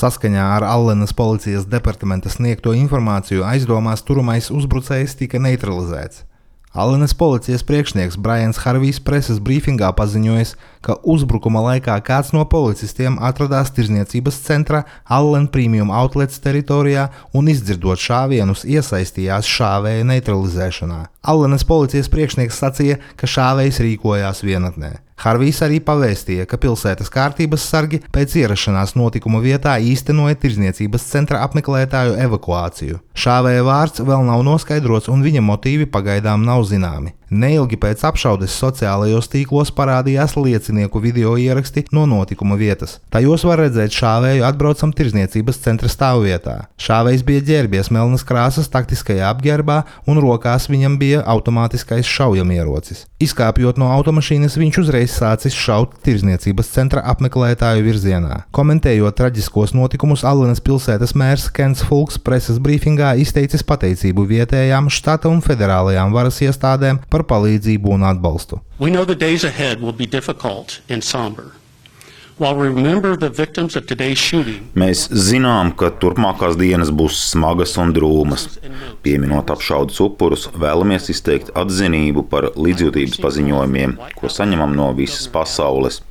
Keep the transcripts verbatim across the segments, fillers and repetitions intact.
Saskaņā ar Allenas policijas departamenta sniegto informāciju aizdomās turamais uzbrucējs tika neutralizēts. Allenas policijas priekšnieks Brians Harvijs preses brīfingā paziņojis, ka uzbrukuma laikā kāds no policistiem atradās tirdzniecības centra Allen Premium Outlets teritorijā un izdzirdot šāvienus iesaistījās šāvēja neutralizēšanā. Allenas policijas priekšnieks sacīja, ka šāvējs rīkojās vienatnē. Harvijs arī pavēstīja, ka pilsētas kārtības sargi pēc ierašanās notikuma vietā īstenoja tirdzniecības centra apmeklētāju evakuāciju. Šāvēja vārds vēl nav noskaidrots un viņa motīvi pagaidām nav zināmi. Neilgi pēc apšaudes sociālajos tīklos parādījās liecinieku video ieraksti no notikuma vietas. Tajos var redzēt šāvēju atbraucam tirdzniecības centra stāvvietā. Šāvējs bija ģērbies melnas krāsas taktiskajā apģērbā un rokās viņam bija automātiskais šaujamierocis. Izkāpjot no automašīnas, viņš uzreiz sācis šaut tirdzniecības centra apmeklētāju virzienā. Komentējot traģiskos notikumus, Allenas pilsētas mērs Kents Fulks preses brīfingā izteicis pateicību vietējām, štata un federālajām varas iestādēm par palīdzību un atbalstu. We know the days ahead will be difficult and somber. While we remember the victims of today's shooting, Mēs zinām, ka turpmākās dienas būs smagas un drūmas. Pieminot apšaudes upurus, vēlamies izteikt atzinību par līdzjūtības paziņojumiem, ko saņemam no visas pasaules.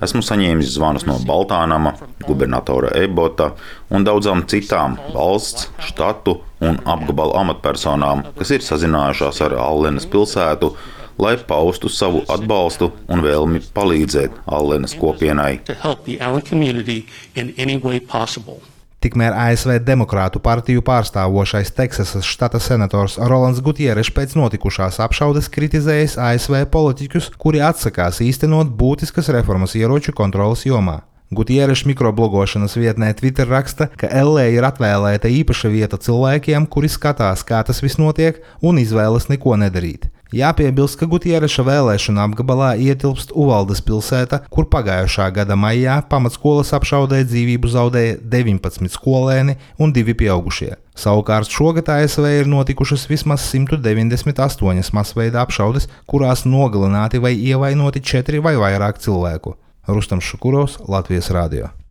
Esmu saņēmis zvanus no Baltānama, gubernatora Ebota un daudzām citām valsts, štatu un apgabalu amatpersonām, kas ir sazinājušās ar Allenas pilsētu, lai paustu savu atbalstu un vēlmi palīdzēt Allenas kopienai. to help the Allen community in any way possible. Tikmēr A S V Demokrātu partiju pārstāvošais Teksasas štata senators Rolands Gutierešs pēc notikušās apšaudes kritizējis A S V politiķus, kuri atsakās īstenot būtiskas reformas ieroču kontrolas jomā. Gutierešs mikroblogošanas vietnē Twitter raksta, ka L A ir atvēlēta īpaša vieta cilvēkiem, kuri skatās, kā tas viss notiek, un izvēlas neko nedarīt. Jāpiebilst, ka Gutiereša vēlēšana apgabalā ietilpst Uvaldes pilsēta, kur pagājušā gada maijā pamatskolas apšaudē dzīvību zaudēja deviņpadsmit skolēni un divi pieaugušie. Savukārt šogad A S V ir notikušas vismaz simt deviņdesmit astoņas masveida apšaudes, kurās nogalināti vai ievainoti četri vai vairāk cilvēku. Rustams Šukurovs, Latvijas radio.